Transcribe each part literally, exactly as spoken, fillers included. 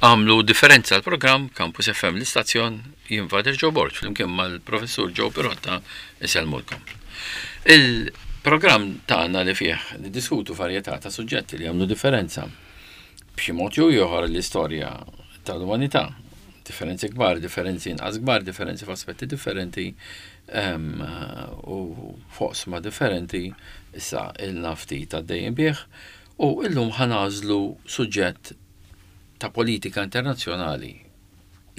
Għamlu differenza l-programm Campus F M l-istazzjon, jien Father Joe Borg flimkien mal-professur Joe Pirotta isellmulkom. Il-programm tagħna li fih niddiskutu varjetà ta' suġġetti li għamlu differenza b'xi mod jew ieħor l-istorja tal-umanità. Differenzi kbar, differenzi inqas kbar, differenzi f'aspetti differenti, ehm, u foqsma differenti, issa ilna ftit għaddejjin bih, u illum ħanażlu suġġett ta' politika internazzjonali,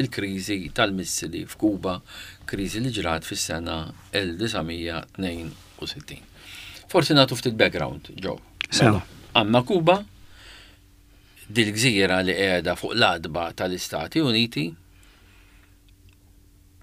il-kriżi tal-missili f'Kuba, kriżi li ġrat fis-sena elf disa' mija tnejn u sittin. Forsi nagħtu ftit background, Joe. Sewa. Mela, għandna Kuba, dil-gżira li qiegħda fuq l-adba tal-Istati Uniti,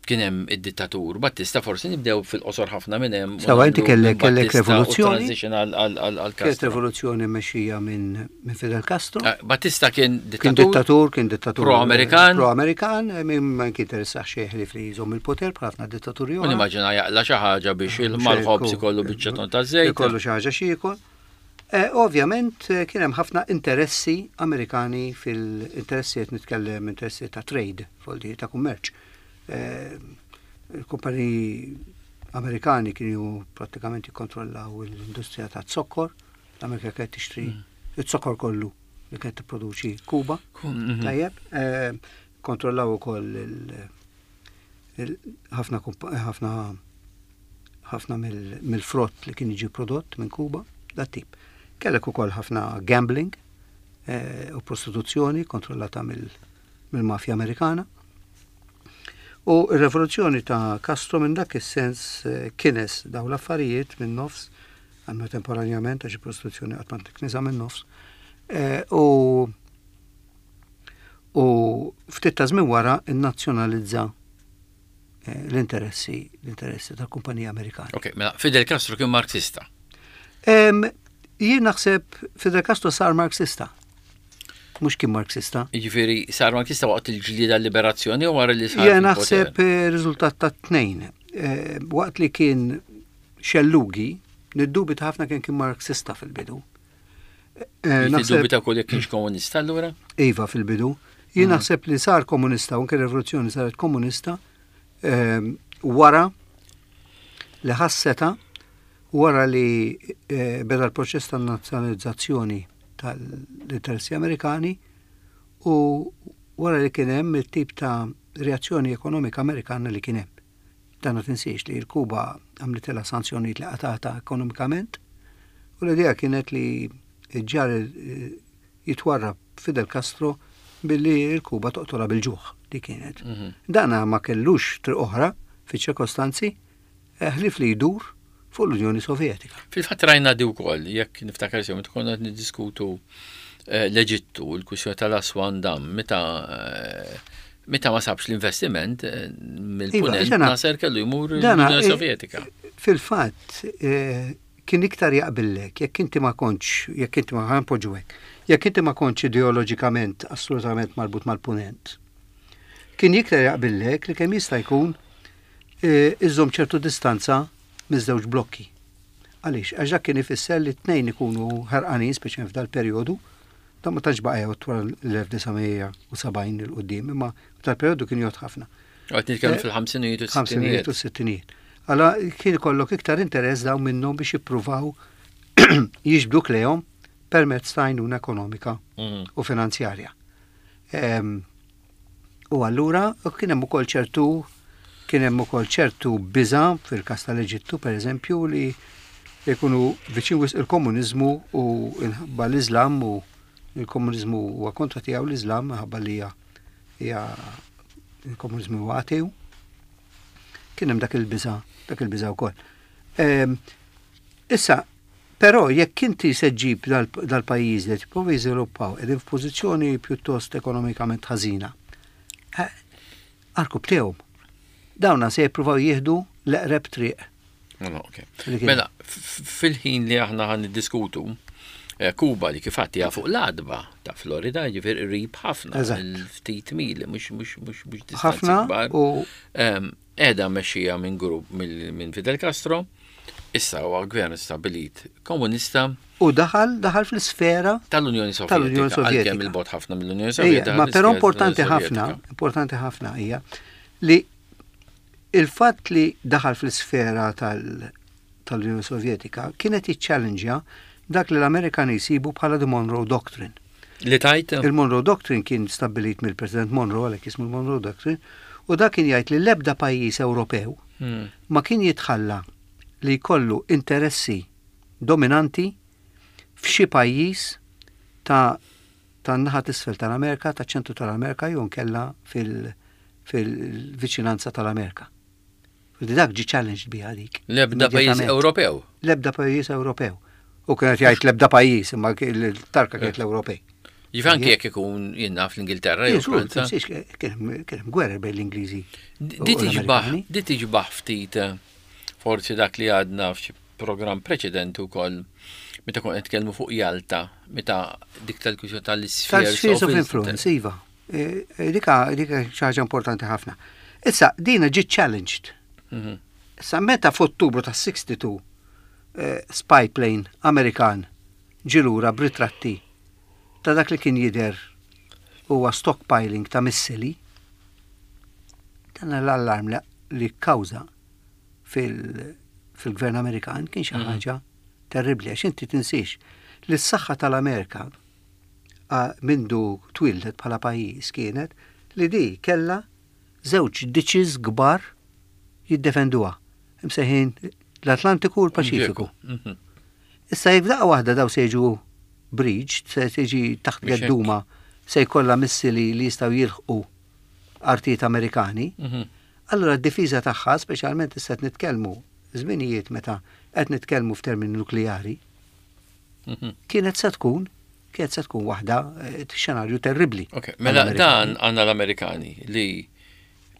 kien hemm id-dittatur Battista, forsi nibdew fil-qosor ħafna minn hemm u Sewa, inti nagħmlu kellek, minn kellek Battista u revoluzzjoni. transition għal, għal, għal, għal Kienet Castro. rivoluzzjoni mexxija minn, minn Fidel Castro. Eh, Battista kien Kien dittatur. dittatur, kien dittatur Pro-Amerikan. Pro-Amerikan, eh, minn ma kien interessa xejn li fli jżomm il-poter bħal ħafna dittaturi U oħra. nimmaġina jaqla xi ħaġa biex Xejn il-mal-ħobż ku- ikollu biċċa ton ta' żejt. Ikollu xi ħaġa xi jiekol. Eh, ovvjament, eh, kien hemm ħafna interessi Amerikani fil-interessi qed nitkellem interessi ta' trade, foldi ta' kummerċ. Eh, il-kumpaniji Amerikani kienu prattikament jikkontrollaw l-industrija ta' zokkor. L-Amerika kienet tixtri Mm. iz-zokkor kollu li kienet tipproduċi Kuba. Ku-, mhm. Tajjeb, eh, kontrollaw ukoll il-, il-, ħafna kumpa-, ħafna, ħafna mill-, mill-frott li kien jiġi prodott minn Kuba, dat tip. Kellek ukoll ħafna gambling, eh, u prostituzzjoni kontrollata mill-, mill-mafja Amerikana. U r-rivoluzzjoni ta' Castro minn dak is-sens, eh, kines daw l-affarijiet minn nofs, għannu temporanjament għax il-prostituzzjoni qatt ma tiknisa minn nofs. Eh, u, u ftit ta' żmien wara innazzjonalizza, eh, l-interessi, l-interessi tal-kumpanija Amerikana. Ok, mela Fidel Castro kien Marxista. Em, jien naħseb Fidel Castro sar Marxista. Mhux kien Marxista. Jiġifieri sar Marxista waqt il-ġlieda liberazzjoni u wara li sar Jien fil-poter? naħseb, eh, riżultat ta' tnejn. Eh, waqt li kien xellugi, niddubita ħafna kien kien Marxista fil-bidu. Eh, Jiġifieri naħseb tiddubita wkoll jekk kienx komunista allura? Iva fil-bidu. Jien Mhm. naħseb li sar komunista, u anke r-rivoluzzjoni saret komunista, ehm, wara li ħasseta, wara li, eh, beda l-proċess ta' nazzjonalizzazzjoni tal-interessi Amerikani u wara li kien hemm it-tip ta' reazzjoni ekonomika Amerikana li kien hemm. Dan ma tinsiex li l-Kuba għamlitilha sanzjonijiet li qatata ekonomikament u l-idea kienet li ġar, eh, jitwarrab Fidel Castro billi l-Kuba toqtolha bil-ġuħ li kienet. Mhm. Dana ma kellux triq oħra fiċ-ċirkostanzi, eh, ħlief li jdur fuq l-Unjoni Sovjetika. Fil-fatt rajna di wkoll, jekk niftakar sew, meta konna qed niddiskutu, eh, l-Eġittu, l-kwistjoni tal-Aswan Dam, meta, eh, meta ma sabx l-investiment, eh, mill-punent Iva, dana Nasser kellu jmur dana l-Unjoni eh, Sovjetika. Fil-fatt, eh, kien iktar jaqbillek, jekk inti ma kontx, jekk inti ma ħanpoġġu hekk, jekk inti ma kontx ideoloġikament assolutament marbut mal-punent, kien iktar jaqbillek li kemm jista' jkun, eh, iżżomm ċertu distanza miż-żewġ blokki. Għaliex? Għax dak kien ifisser li t-tnejn ikunu ħerqanin, speċjalment f'dal-perjodu, dan ma tantx baqa' jgħod wara l-elf disa' mija u sebgħin il quddiem, imma f'dal-perjodu kien jgħod ħafna. Għad nitkellmu Eh, fil-ħamsinijiet u s-sittinijiet. Ħamsinijiet u s-sittinijiet. Alla kien ikollok iktar interess dawn minnhom biex jippruvaw jiġbduk lejhom permezz ta' għajnuna ekonomika Mhm. u finanzjarja. Em, u allura kien hemm ukoll ċertu kien hemm ukoll ċertu biża' fil-każ tal-Eġittu, pereżempju, li jkunu viċin wisq il-komuniżmu u inħabba l-Iżlam u il-komuniżmu huwa kontra tiegħu l-Iżlam minħabba li hija, hija il-komuniżmu huwa ateu. Kien hemm dak il-biża', dak il-biża' wkoll. Em, issa, però jekk inti se ġġib dal-, dal-pajjiż li tipprova jiżviluppaw qegħdin f'pożizzjoni pjuttost ekonomikament ħażina, eh, arkub tiegħu. Dawna se jippruvaw jieħdu l-eqreb triq. Mela, ok. Li kien. Mela, f-, f-, fil-ħin li aħna ħan niddiskutu, eh, Kuba li kif għatti fuq l-adba ta' Florida, ġifier qrib ħafna, Eżatt. il-ftit mili, mhux, mhux, mhux, mhux distanzi Ħafna kbar. u Em, qiegħda mexxija minn grupp mill-, minn Fidel Castro, Issa huwa gvern stabilit komunista. U daħal daħal fl-isfera tal-Unjoni Sovjetika. Tal-Unjoni Sovjetika. Għalkemm il-bogħod ħafna mill-Unjoni Sovjetika. Ma però importanti ħafna, importanti ħafna hija li il-fatt li daħal fl-isfera tal-Unjoni Sovjetika kienet jiċċallenġja dak li l-Amerikani jsibu bħala the Monroe Doctrine. Li tajt? Il-Monroe Doctrine kien stabilit mill-President Monroe, għalhekk jismu l-Monroe Doctrine, u dak kien jgħid li l-ebda pajjiż Ewropew hmm. ma kien jitħalla li jkollu interessi dominanti f'xi pajjiż ta' tan-naħa t'isfel tal-Amerika, ta' ċentru tal-Amerika jew nkella fil-viċinanza tal-Amerika. Dak ġi challenged biha dik. L-ebda pajjiż Ewropew. L-ebda pajjiż Ewropew. U kienet jgħid l-ebda pajjiż, imma l-tarka kienet l-Ewropej. Jiġifieri anki jekk ikun jiena fl-Ingilterra jew Franza. Kien hemm gwerra bejn l-Ingliżi. Di tiġbaħ ftit eh, forsi dak li għadna f'xi programm preċedenti wkoll meta kont nitkellmu fuq Jalta, meta dik tal-kwistjoni tal-spheres of influence, iva. E, e, dika dika xi ħaġa importanti ħafna. Issa dina ġiet challenged. Mhm. Issa meta f'Ottubru ta' sittaw u sittin eh, spy plane Amerikan ġie lura b'ritratti ta' dak li kien jidher huwa stockpiling ta' missili, dan l-allarm li kkawża fil-gvern Amerikan kien xi mhm. ħaġa terribli, għax inti tinsiex li s-saħħa tal-Amerika mindu twildet bħala pajjiż kienet li di kella żewġ ditches kbar jiddefenduha, imsejħin l-Atlantiku u l-Paċifiku. Mhm. Issa jekk daqqa waħda daw se jiġu breached, se tiġi taħt gedduma, se jkollha missili li jistgħu jilħqu artijiet Amerikani, mhm. allura d-difiża tagħha, speċjalment issa qed nitkellmu żminijiet meta qed nitkellmu f'termini nukleari, mhm. kienet se tkun kienet se tkun waħda eh, xenarju terribli. Ok, mela dan għandna l-Amerikani li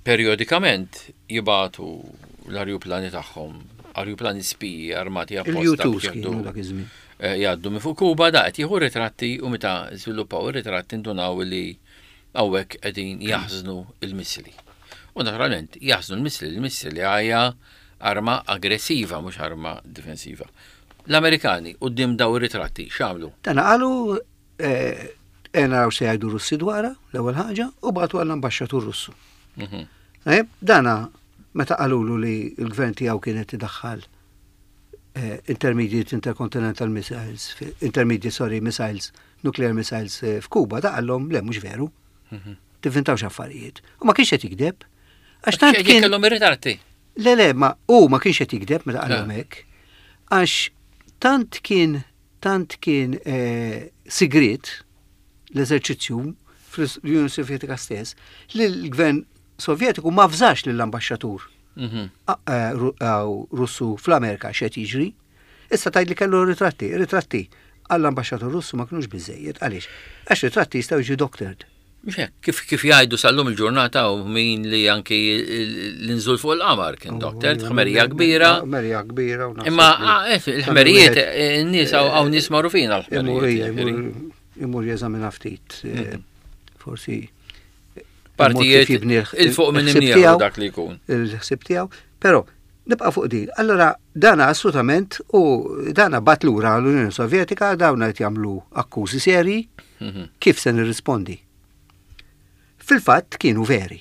periodikament jibagħtu l-arjuplani tagħhom, arjuplani spiji armati apposta. Il-U two kienu dak iż-żmien. Eh, jgħaddu minn fuq Kuba, da qed jieħu ritratti u meta żviluppaw ir-ritratti ndunaw li hawnhekk qegħdin jaħżnu il-missili. U naturalment jaħżnu l-missili, il-missili hija arma aggressiva, mhux arma difensiva. L-Amerikani quddiem daw ir-ritratti x'għamlu? Tana qalu eh, naraw se jgħidu Russi dwarha, l-ewwel ħaġa, u bagħtu għall-ambaxxatur Russu. Mhm. Eh, dana meta qalulu li l-gvern tiegħu kienet idaħħal eh, intermediate intercontinental missiles, intermediate, sorry, missiles, nuclear missiles eh, f'Kuba, da qallhom le, mhux veru. Mhm. Tivvintawx affarijiet. U ma kienx qed jikdeb. Għax tant kien kellhom ir-ritratti. Le, le, ma u ma kienx qed jikdeb meta qallhom hekk. Għax tant kien tant kien eh, sigrit l-eżerċizzju fl-Unjoni Sovjetika stess li l-gvern Sovjetiku ma avżax lill-ambaxxatur mhm. eh, Russu fl-Amerika x'qed jiġri. Issa tgħid li kellu ritratti, ritratti għall-ambaxxatur Russu ma kienux biżejjed. Għaliex? Għax ritratti jistgħu jiġu doctored. Kif kif jgħidu sal-lum il-ġurnata u min li anki l-inżul fuq il-qamar kien doctored, ħmerija kbira. Ħmerija kbira. Imma ah, eh, il-ħmerijiet, eh, n-nies hawn nies magħrufin għal-ħmerijiet. Imur jeżamina ftit, eh, mhm. forsi partijiet il-fuq minn imnieħru dak li jkun. Il-ħsib tiegħu, però nibqa' fuq din. Allora dana assolutament u dana bagħat lura l-Unjoni Sovjetika, dawna qed jagħmlu akkużi serji, mhm. kif se nirrispondi? Fil-fatt kienu veri.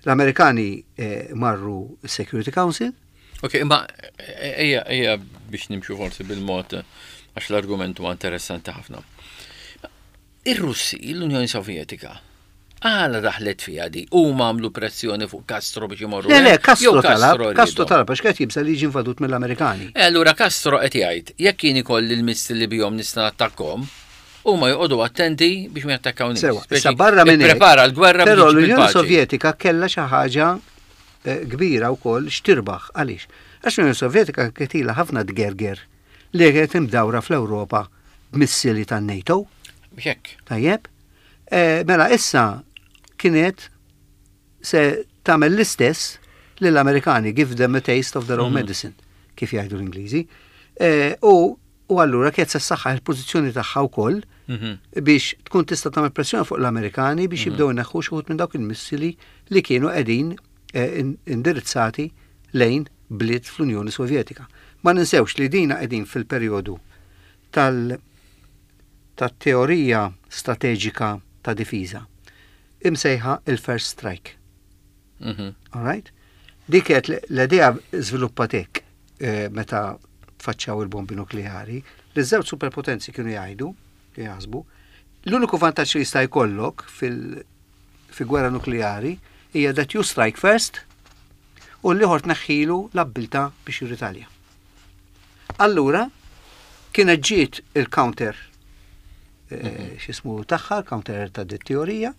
L-Amerikani eh, marru Security Council. Ok, imma ejja ejja biex nimxu forsi bil-mod għax l-argument huwa interessanti ħafna. Ir-Russi, l-Unjoni Sovjetika, għala daħlet fija di? U għamlu pressjoni fuq Castro biex imorru. Le, le, Castro talab, Castro talab, għax kien jibża li jiġi invadut mill-Amerikani. E allura Castro qed jgħid, jekk jien ikolli l-missili li bihom nista' nattakkom, huma joqogħdu attenti biex ma jattakkawniex. Sewa, issa barra minn Prepara l-gwerra. Però l-Unjoni Sovjetika kellha xi ħaġa eh, kbira wkoll x'tirbaħ. Għaliex? Għax l-Unjoni Sovjetika kienet ħafna tgerger li kienet imdawra fl-Ewropa b'missili tan-NATO. Hekk. Tajjeb? Eh, mela issa kienet se tagħmel l-istess lill-Amerikani, give them a taste of their own mhm. medicine, kif jgħidu l-Ingliżi. Eh, u u allura kienet se ssaħħaħ il-pożizzjoni tagħha wkoll mhm. biex tkun tista' tagħmel pressjoni fuq l-Amerikani biex mhm. jibdew ineħħu xi minn dawk il-missili li kienu qegħdin eh, indirizzati lejn bliet fl-Unjoni Sovjetika. Ma ninsewx li dina qegħdin fil-perjodu tal tat-teorija strateġika ta' difiża imsejħa il-first strike. Mhm. All right? Dik kienet l-idea żviluppat hekk eh, meta tfaċċaw il-bombi nukleari, li żewġ superpotenzi kienu jgħidu, kienu jaħsbu, l-uniku vantaġġ li jista' jkollok fil fi gwerra nukleari hija that you strike first u l-ieħor tneħħilu l-abbiltà biex jirritalja. Allura, kienet ġiet il-counter eh, x'ismu tagħha, il-counter ta' dit teorija,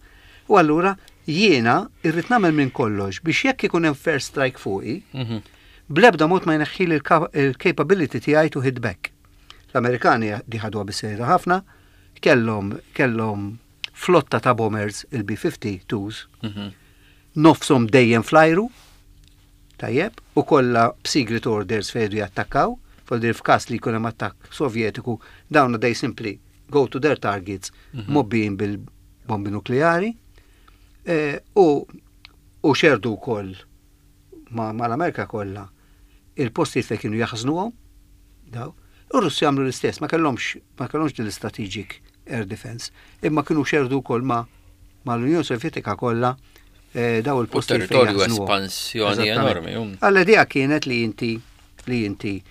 u allura jiena irrid nagħmel minn kollox biex jekk ikun hemm first strike fuqi, Mhm. blebda mod ma jneħħili il-capability tiegħi to hit back. L-Amerikani di ħadwa bis-serjetà ħafna, kellhom kellhom flotta ta' bombers il-B fifty twos, Mhm. nofshom dejjem flajru, tajjeb, u kollha b'secret orders fejdu jattakkaw, foldir f'każ li jkun hemm attakk Sovjetiku, dawn they simply go to their targets mgħobbijin bil-bombi nukleari, eh, u u xerdu wkoll ma, ma l-Amerika kollha il-postijiet fejn kienu jaħżnuhom, daw. U Russi għamlu l-istess, ma kellhomx ma kellhomx din l-strategic air defense, imma kienu xerdu wkoll ma ma l-Unjoni Sovjetika kollha eh, daw U il-postijiet fejn territorju jaħżnuhom. espansjoni Eżattament. enormi. um. Għall-idea kienet li inti li inti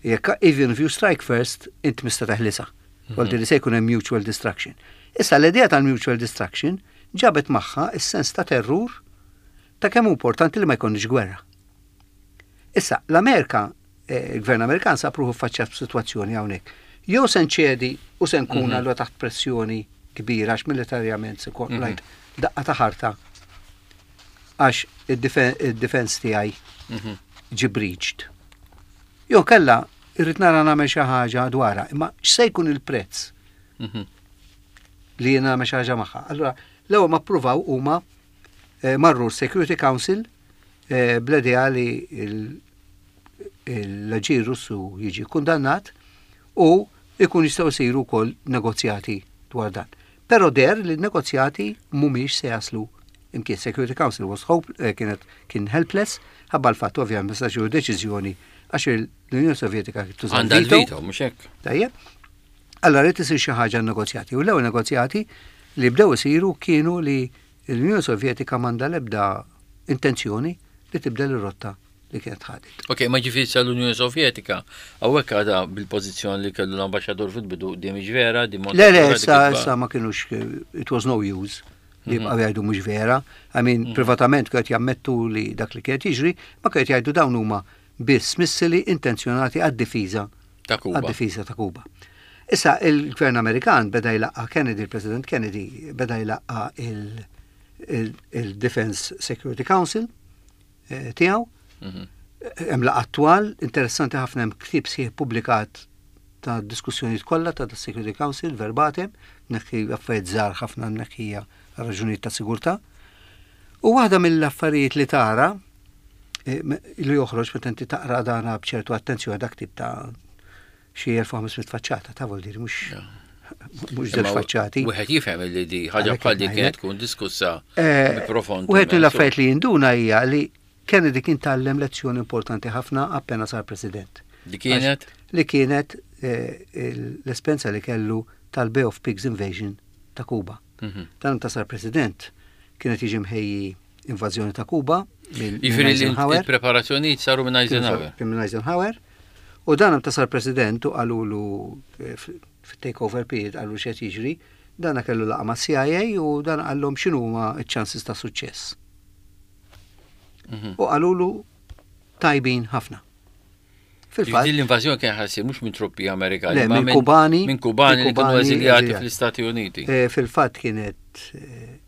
jekk even if you strike first, inti mista teħlisa. Mm li se jkun hemm mutual destruction. Issa l-idea tal-mutual destruction ġabet magħha is-sens ta' terrur ta' kemm hu importanti li ma jkunx gwerra. Issa, l-Amerika, eh, il-gvern Amerikan sab ruħu faċċat b'sitwazzjoni hawnhekk. Jew se nċedi u se nkun mm -hmm. taħt pressjoni kbira għax militarjament se mm -hmm. daqqa ta' ħarta għax id-defense tiegħi Mhm. ġi breached. Jew kella irrid nara nagħmel xi ħaġa dwarha, imma x'se jkun il-prezz Mhm. li jiena nagħmel xi ħaġa magħha. Allura, l-ewwel ma ppruvaw huma eh, marru Security Council eh, bl-idea li il- l-aġir Russu jiġi kundannat u ikun jistgħu jsiru wkoll negozjati dwar dan. Però deher li negozjati mhumiex se jaslu imkien. Security Council was hope, eh, kienet kien helpless, ħabba l-fatt ovvjament ma setax jieħu deċiżjoni għax l-Unjoni Sovjetika tuża Għandha l-veto. l-veto, mhux hekk. Tajjeb. Allora rrid isir xi ħaġa negozjati. U l-ewwel negozjati li bdew isiru kienu li l-Unjoni Sovjetika m'għandha l-ebda intenzjoni li tibdel ir-rotta li kienet ħadet. Ok, ma ġifieri sa l-Unjoni Sovjetika, hawnhekk għadha bil-pożizzjoni li kellu l-ambaxxatur fil-bidu, di mhix vera, di Le, le, issa, issa ma kienux, it was no use li jibqgħu jgħidu mhux vera. I mean, privatament kienet jammettu li dak li kienet jiġri, ma kienet jgħidu dawn huma biss missili intenzjonati għad-difiża ta' Kuba. għad-difiża ta' Kuba. Issa il-gvern Amerikan beda jlaqqa Kennedy, il-President Kennedy beda jlaqqa il- il- il-Defense Security Council eh, tiegħu. Mhm. Hemm laqgħa attwal, interessanti ħafna, hemm ktieb sħiħ publikat ta' diskussjonijiet kollha ta' Security Council verbatim, neħħi affarijiet żgħar ħafna neħħija għal raġunijiet ta' sigurtà. U waħda mill-affarijiet li tara eh, me- li joħroġ meta inti taqra dana b'ċertu attenzjoni, dak tip ta' xi elf u ħames mitt faċċata ta' vuol dire mhux mhux żewġ faċċati. Wieħed jifhem li di ħaġa Għalhekk bħal di qed kienet tkun diskussa Eh, bi profond. Wieħed mill-affarijiet li jinduna hija li Kennedy kien tgħallem lezzjoni importanti ħafna appena sar president. Di kienet? Li kienet eh, l-esperjenza li kellu tal-Bay of Pigs invasion ta' Kuba. Mhm. Dan ta' sar president kienet jiġi mħejji invażjoni ta' Kuba minn Jiġifieri li Eisenhower. il-preparazzjonijiet saru minn Eisenhower. Minn Eisenhower. U dan ta' sar president u qalulu eh, fit-takeover period qalu x'qed jiġri, dana kellu laqgħa ma' C I A u dan qallhom x'inhuma ċ-chances ta' suċċess. Mhm. U qalulu tajbin ħafna. Fil-fatt, Ġifieri l-invażjoni kien ħa ssir mhux minn truppi Amerikani, Le, ma minn Kubani. Minn Kubani li kienu Kubani eżiljati eżiljati. fl-Istati Uniti. eh, fil-fatt kienet eh,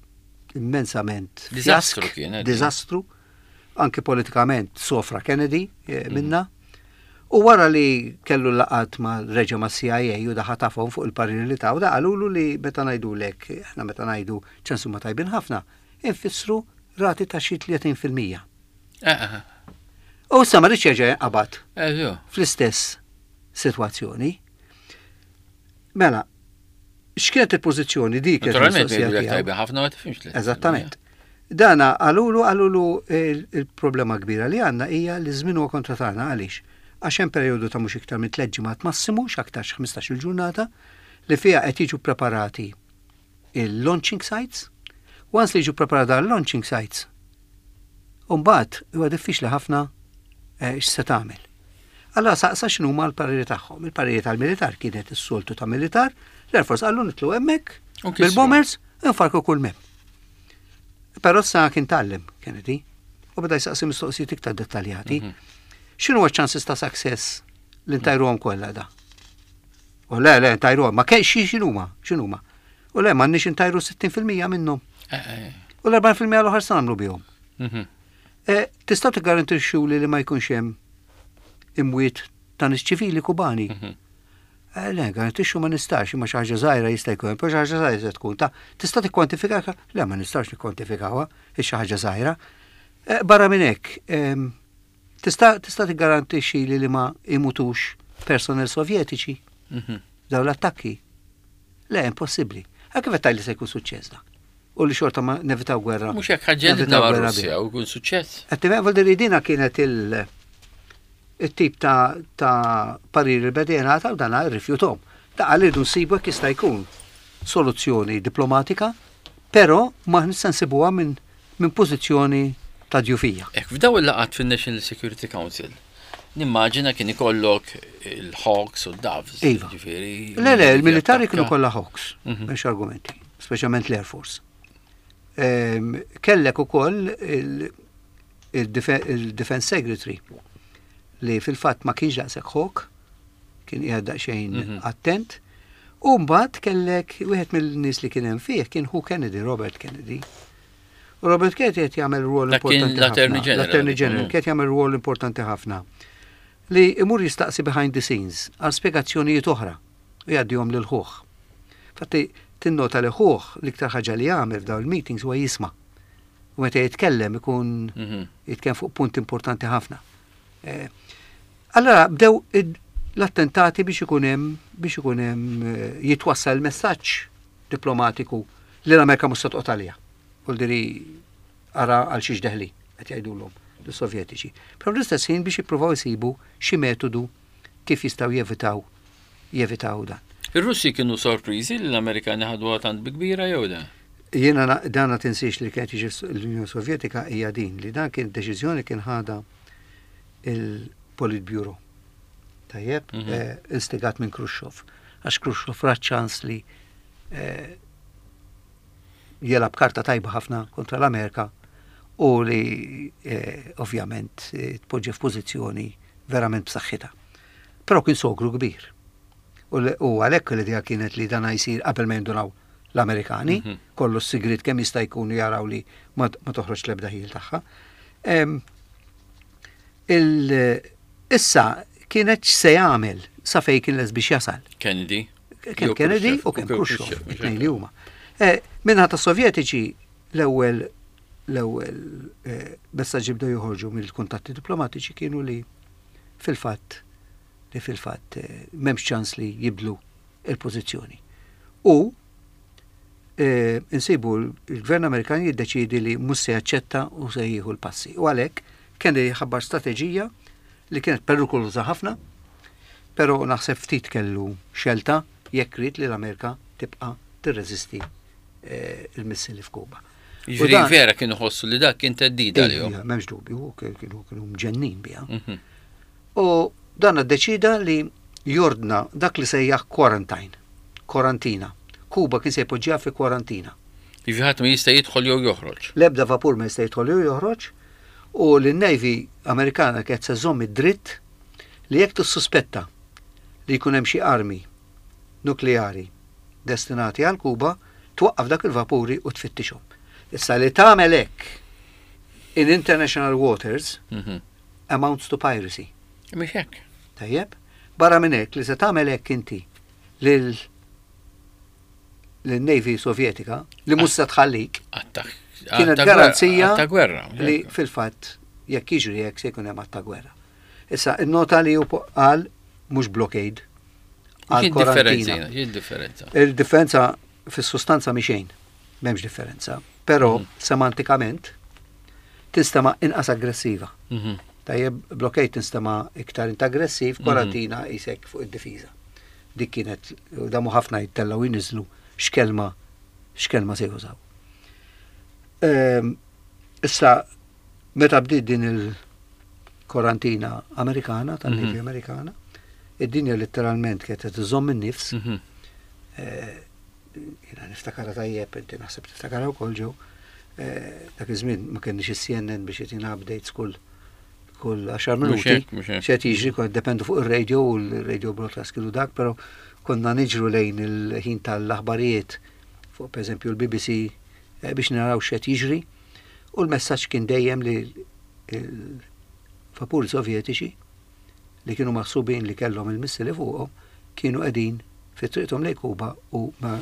immensament Diżastru fjask, kienet. Diżastru. Anke politikament sofra Kennedy eh, Mhm. minna. U wara li kellu laqat ma reġa ma C I A u daħa tafhom fuq il-pariri li taw, da qalulu li meta ngħidulek, aħna meta ngħidu ċansu ma tajbin ħafna, infissru rati ta' xi tletin fil-mija. Eh, eh, U issa ma rridx jerġa' jinqabad eh, jo. fl-istess sitwazzjoni. Mela, x'kienet il-pożizzjoni dik kienet Naturalment, il-mistoqsija jgħidulek tiegħu. tajbin ħafna, ma tifhimx li. Eżattament. Dana qalulu qalulu il- il-problema kbira li għandna hija li żmien huwa kontra tagħna. Għaliex? Għax hemm perjodu ta' mhux iktar minn tliet ġimgħat massimu, x'aktarx ħmistax-il ġurnata, li fiha qed jiġu preparati il-launching sites. Once li jiġu preparati l-launching sites, mbagħad huwa diffiċli ħafna eh, x'se tagħmel. Allora saqsa x'inhuma l-pariri tagħhom. Il-pariri tal-militar kienet is-soltu ta' militar, l-Air Force qallu nitilgħu hemmhekk U kisru. bil-bombers infarku kull m'hemm. Però sa kien tgħallem Kennedy u beda jsaqsi mistoqsijiet iktar dettaljati. X'inhu ċ-chances ta' success li ntajruhom kollha da? U le, le, ntajruhom, ma kien xi x'inhuma, x'inhuma. U le, m'għandniex intajru sittin fil-mija minnhom. Eh, eh. U l-erbgħin fil-mija l-oħra se nagħmlu bihom. Mhm. Eh, Tistgħu tiggarantixxu li li ma jkunx hemm imwiet ta' nies ċivili Kubani? Mhm. Eh, Le, garantixxu ma nistax, imma xi ħaġa żgħira jista' jkun, però xi ħaġa żgħira se tkun. Ta' tista' tikkwantifika? Le, ma nistax nikkwantifikawha, hi xi ħaġa żgħira. Eh, Barra minn hekk, em, tista' tista' tiggarantixxi li li ma imutux personnel sovjetiċi Mhm. daw l-attakki? Le, impossibbli. Għal kif qed li se jkun suċċess da? U li xorta ma nevitaw gwerra. Mhux hekk ħaġġelitna nevitaw ma' gwerra Russja u jkun suċċess. Għattim, vuol dina kienet il- il-tip ta' ta' parir il bedena ta' dana rrifjutom. Ta' għal irridu nsibu jekk jista' jkun soluzzjoni diplomatika, però ma nista' nsibuha minn min pożizzjoni ta' djufija. Ek, f'daw il-laqgħat fin-National Security Council, nimmaġina kien ikollok il-Hawks u d-Doves. Iva. Ġifieri. Le, le, il-militari kienu jattakka. kollha Hawks, Mhm. m'hemmx argumenti, speċjalment l-Air Force. Ehm, Kellek ukoll il- il-Defe- il-Defense Secretary li fil-fatt ma kienx daqshekk hawk, kien qiegħed daqsxejn Mhm. attent. U mbagħad kellek wieħed mill-nies li kien hemm fih kien hu Kennedy, Robert Kennedy. U Robert Kennedy qed jagħmel rwol Dak kien importanti l-Attorney ħafna. General. L-Attorney General Mm. kien jagħmel rwol importanti ħafna. Li imur jistaqsi behind the scenes għal spjegazzjonijiet oħra u jgħaddihom lil ħuh. Fatti tinnota li ħuh l-iktar ħaġa li jagħmel f'dawn il-meetings huwa jisma'. U meta jitkellem ikun Mhm. jitkellem fuq punt importanti ħafna. Eh, Allora bdew id- l-attentati biex ikun hemm biex ikun hemm eh, jitwassal messaġġ diplomatiku li l-Amerika mhux se toqgħod għaliha. Vuol diri ara għal xiex deħli qed jgħidulhom l-Sovjetiċi. Però fl-istess ħin biex jippruvaw isibu xi metodu kif jistgħu jevitaw jevitaw dan. Ir-Russi kienu sorpriżi li l-Amerikani ħaduha tant bi kbira jew da? Jiena na- dana tinsiex li kienet jiġi l-Unjoni Sovjetika hija din li dan kien deċiżjoni kien ħada il-Politburo. Tajjeb, Mhm. eh, instigat minn Khrushchev. Għax Khrushchev ra ċans li eh, jelab karta tajba ħafna kontra l-Amerika u li eh, ovvjament eh, tpoġġi f'pożizzjoni verament b'saħħitha. Però kien sogru kbir. U li- U għalhekk l-idea kienet li dan jsir qabel ma jindunaw l-Amerikani, Mhm. kollu s-sigrit kemm jista' jkun jaraw li ma ma toħroġ l-ebda ħil tagħha. Em, il- Issa kienet x'se jagħmel sa fejn kien les biex jasal. Kennedy. Kemm Jew Kennedy Khrushchev, u kemm u Khrushchev, Khrushchev, it-tnejn li huma. Eh, Minħa ta' Sovjetiċi l-ewwel l-ewwel eh, messaġġi bdew joħorġu mill-kuntatti diplomatiċi kienu li fil-fatt li fil-fatt eh, m'hemmx ċans li jibdlu il-pożizzjoni. U eh, insibu l-gvern Amerikan jiddeċidi li mhux se jaċċetta u se jieħu l-passi. U għalhekk Kennedy ħabbar strateġija li kienet perikoluża ħafna, però naħseb ftit kellu xelta jekk ried li l-Amerika tibqa' tirreżisti eh, il-missili f'Kuba. U Jiġifieri dan- vera kienu ħossu li dak kien theddida għalihom. Ija, m'hemmx dubju, kienu kienu mġennin biha. Mhm. U dan ddeċida li jordna dak li sejjaħ quarantine, kwarantina. Kuba kien se jpoġġiha fi kwarantina. Jiġifieri ħadd ma jista' jidħol jew joħroġ. L-ebda vapur ma jista' jidħol jew joħroġ u l-Navy Amerikana kienet se żomm id-dritt li jekk tissuspetta li jkun hemm xi armi nukleari destinati għal Kuba, twaqqaf dak il-vapuri u tfittixhom. Issa li tagħmel hekk in international waters Mhm. amounts to piracy. Mhix hekk. Tajjeb? Barra minn hekk li se tagħmel hekk inti lil lin-Navy Sovjetika li mhux se tħallik Attak. kienet ta' garanzija gwerra- Ta' gwerra. li fil-fatt jekk jiġri hekk se jkun hemm att ta' gwerra. Issa innota li hu qal mhux blockade għal X'in differenza? kwarantina. X'in differenza? Il-differenza fis-sustanza mhi xejn, m'hemmx differenza, però Mhm. semantikament tinstema' inqas aggressiva. Mhm. Tajjeb, blockade tinstema' iktar int aggressiv, korantina qisek fuq id-difiża. Dik kienet, damu ħafna jittellaw jinżlu x'kelma x'kelma se jużaw. Ehm, Issa, meta bdiet din il-korantina Amerikana, tan-Navy Mhm. Amerikana, id-dinja letteralment kienet qed iżomm in-nifs. Mhm. Eh, Jiena niftakara tajjeb, inti naħseb tiftakara wkoll ġew. Eh, Dak iż-żmien ma kenniex is-C N N biex jtina updates kull kull għaxar Mhux minuti. hekk, mhux hekk. X'qed jiġri, kont dependu fuq ir-radio u l-radio broadcast kienu dak, però konna niġru lejn il-ħin tal-aħbarijiet fuq, pereżempju, l-B B C eh, biex naraw x'qed jiġri. U l-messaġġ kien dejjem li il-vapuri Sovjetiċi li kienu maħsubin li kellhom il-missili fuqhom kienu qegħdin fi triqthom lejn Kuba u ma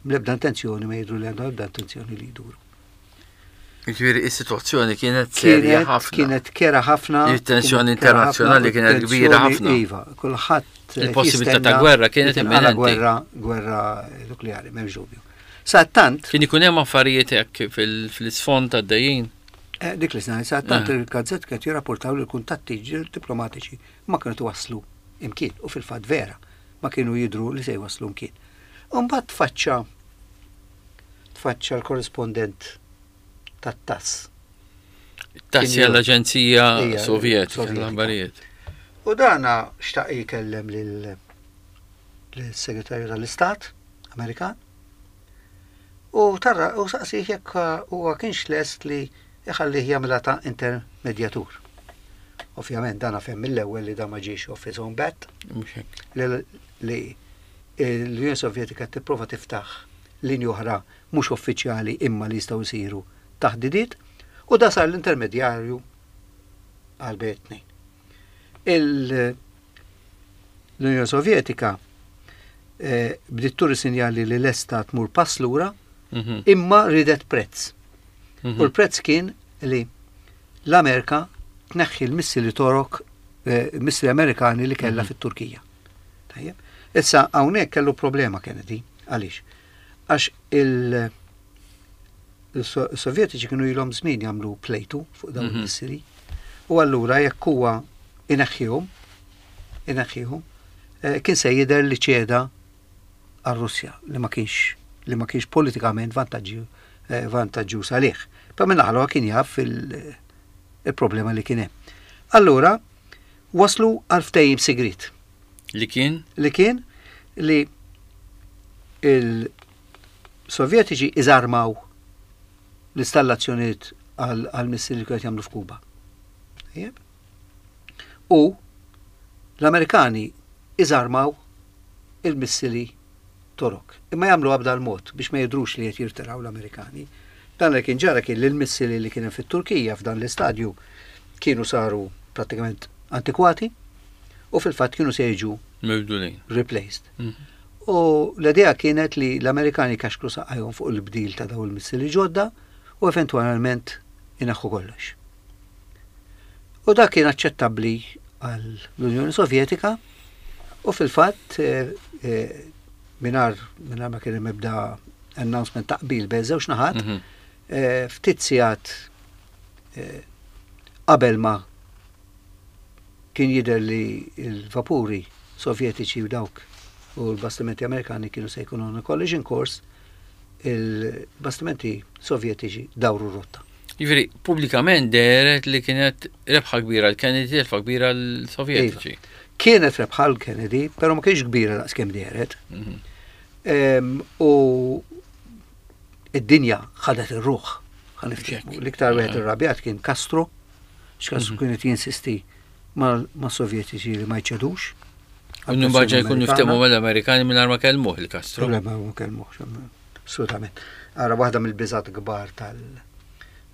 l-ebda intenzjoni, ma jidru li għandhom ebda intenzjoni li jduru. Jiġifieri is-sitwazzjoni kienet serja Kienet, ħafna. kienet kerha ħafna. Il-tensjoni Kienet kerha internazzjonali ħafna, kienet kbira tensjoni, ħafna. Iva, kulħadd eh, Il-possibilità ta' jistenna gwerra kienet li tinqala imminenti. Gwerra, gwerra nukleari, m'hemmx dubju. Sa tant, Kien ikun hemm affarijiet hekk fil- fil-isfond tad-dejjin. eh, dik li snajt, sa tant Eh. il-gazzett kienet jirrapportaw li l-kuntatti diplomatiċi ma kienu waslu imkien u fil-fatt vera ma kienu jidru li se jwaslu imkien. Umbagħad tfaċċa tfaċċa l-korrispondent tat-TASS. TASS Kien l-Aġenzija Ija, Sovjetika Sovjetika. l-aħbarijiet. U dana xtaq jikellem lil segretarju tal-Istat Amerikan u tarra u saqsih jekk huwa kienx lest li iħallih jagħmilha ta' intermedjatur. Ovvjament dana fehem mill-ewwel li da ma ġiex off his own bat, Mhux hekk. li li l-Unjoni Sovjetika tipprova tiftaħ linji oħra mhux uffiċjali imma li jistgħu jsiru taħdidiet, u da sar l-intermedjarju għal bejn tnejn. Il- L-Unjoni Sovjetika eh, bdiet turi sinjali li lesta tmur pass lura Mhm. imma ridet prezz. Mhm. U l-prezz kien li l-Amerika tneħħi l-missili Torok, eh, missili Amerikani li kellha Mhm. fit-Turkija. Tajjeb. Issa hawnhekk kellu problema Kennedy. Għaliex? Għax il- il-Sovjetiċi kienu ilhom żmien jagħmlu plejtu fuq dawn Mhm. il-missili. U allura jekk huwa ineħħihom, ineħħihom, eh, kien se jidher li ċeda għar-Russja li ma kienx li ma kienx politikament vantaġġju eh, vantaġġjuż għalih. Pa minn naħa kien jaf il- il-problema li kien hemm. Allura waslu għal ftehim sigrit Li kien? li kien li il-Sovjetiċi iżarmaw l-installazzjoniet għal għal missili li kienu jagħmlu f'Kuba. Tajjeb? U l-Amerikani iżarmaw il-missili Torok. Imma jagħmlu b'dal mod biex ma jidrux li qed jirtiraw l-Amerikani. Dan li kien ġara kien li l-missili li kien hemm fit-Turkija f'dan l-istadju kienu saru prattikament antikwati u fil-fatt kienu se jiġu Mibdulin. replaced. Mhm. U l-idea kienet li l-Amerikani kaxkru saqajhom fuq il-bdil ta' daw il-missili ġodda u eventualment inaħħu kollox. U dak kien aċċettabbli għall-Unjoni Sovjetika u fil-fatt eh, eh, mingħajr mingħajr ma kien hemm ebda announcement ta' qbil bejn żewġ naħat, Mhm. eh, ftit sigħat eh, qabel ma kien jidher li l-vapuri Sovjetiċi u dawk u l-bastimenti Amerikani kienu se jkunu on a collision course, il-bastimenti Sovjetiċi dawru rotta. Jiġifieri, pubblikament dehret li kienet rebħa kbira l-Kennedy, rebħa kbira l-Sovjetiċi. Kienet rebħa l-Kennedy, però ma kienx kbira daqs kemm dehret. Mhm. Em, U id-dinja ħadet ir-ruħ. Ħa niftehmu. Hekk. L-iktar wieħed irrabjat kien Castro, x'Castro Mhm. kienet jinsisti ma' ma' Sovjetiċi li ma jċedux. U mbagħad jkunu ftehmu mal-Amerikani mingħajr ma kellmuh il-Castro. Problema ma kellmuhx, assolutament. Ara, waħda mill-biżat kbar tal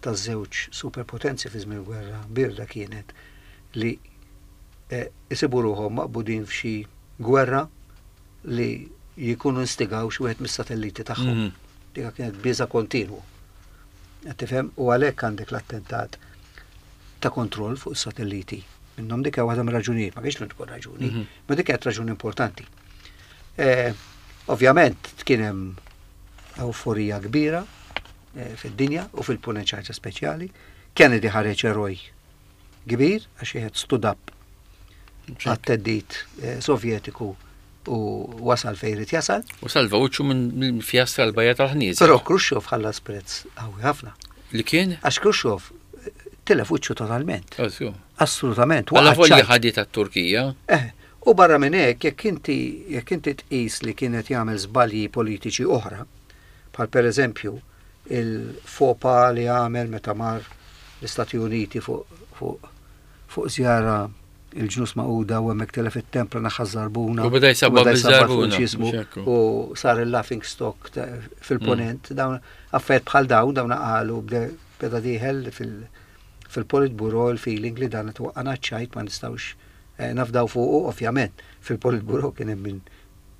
taż-żewġ superpotenzi fi żmien il-gwerra birda kienet li eh, isibu ruħhom maqbudin f'xi gwerra li jikunu instigaw xi wieħed mis-satelliti tagħhom. Mhm. Dika kienet biża kontinwu. Qed tifhem? U għalhekk għandek l-attentat ta' kontroll fuq is-satelliti. Minnhom dik hija waħda mir-raġunijiet, ma kienx l-unika raġuni, Mhm. ma dik kienet raġuni importanti. Eh, Ovvjament kien hemm euforija kbira eh, fid-dinja u fil-punent ħaġa speċjali. Kennedy ħareġ eroj kbir għax wieħed stood up għat-theddid eh, Sovjetiku u wasal fejn irid jasal. U salva wiċċu minn fjastra l-bajja tal-ħnieżer. Però Khrushchev ħallas prezz qawwi ħafna. Li kien? Għax Khrushchev eh, tilef wiċċu totalment. Oh, Assolutament. Alla volja ħadi tat-Turkija. Eh, u barra minn hekk jekk inti jekk inti tqis li kienet jagħmel żbalji politiċi oħra, bħal pereżempju il-fopa li għamel meta mar l-Istati Uniti fuq fuq fuq żjara il-Ġnus Magħquda u hemmhekk telef it-tempra naħa żarbuna. U beda jsabbat biż-żarbuna. U sar il-laughing stock fil-ponent. Mm. Dawn affarijiet bħal dawn, dawn qalu beda dieħel fil-Politburo il-feeling li dan twaqqana ċajt, ma nistgħux eh, nafdaw fuqu. Ovvjament fil-Politburo kien hemm min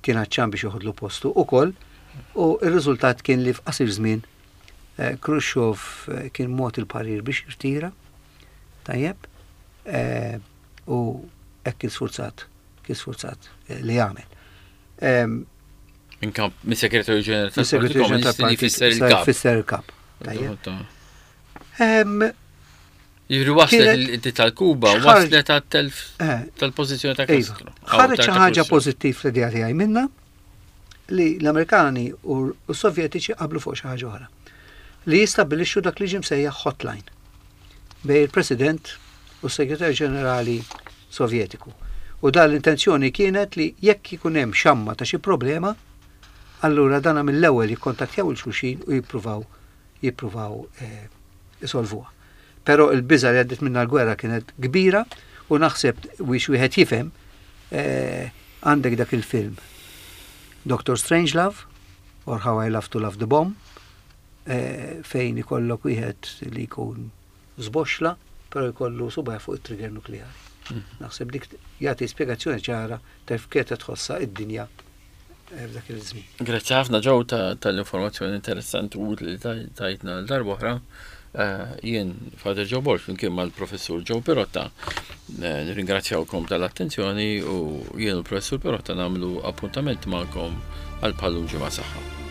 kien għatxan biex joħodlu postu ukoll u r-riżultat kien li f'qasir żmien eh, Khrushchev eh, kien mogħti il-parir biex jirtira, tajjeb, u hekk kien sfurzat, kien sfurzat li jagħmel. Minn kamp, minn segretarju ġenerali tal-Partit li fisser il-kap. Fisser il-kap. Tajjeb. Jiġri waslet il tal-Kuba, waslet għat-telf eh. tal-pożizzjoni ta' iva. Castro. Ħareġ xi ħaġa pożittiv fl-idea tiegħi minna li l-Amerikani u s-Sovjetiċi qablu fuq xi ħaġa oħra. Li jistabbilixxu dak li ġie msejjaħ hotline bejn il-President u s-Segretarju Ġenerali Sovjetiku. U dan l-intenzjoni kienet li jekk ikun hemm xamma ta' xi problema, allura dana mill-ewwel jikkontattjaw lil xulxin u jippruvaw jippruvaw eh, isolvuha. Però il-biża li għaddit minna l-gwerra kienet kbira u naħseb biex wieħed jifhem eh, għandek dak il-film Doctor Strangelove or How I Love to Love the Bomb, eh, fejn ikollok wieħed li jkun żboxla però jkollu subgħu fuq it-trigger nukleari. Mm. Naħseb dik jagħti spjegazzjoni ċara ta' kif tħossha id-dinja eh, f'dak il-żmien. Grazzi ħafna, Joe, tal-informazzjoni interessanti u li tajtna l-darba oħra. Eh, jien Father Joe Borg flimkien mal-professur Joe Pirotta eh, nirringrazzjawkom tal-attenzjoni u jien u l-professur Pirotta nagħmlu appuntament magħkom għal bħal-lum ġimgħa. Saħħa.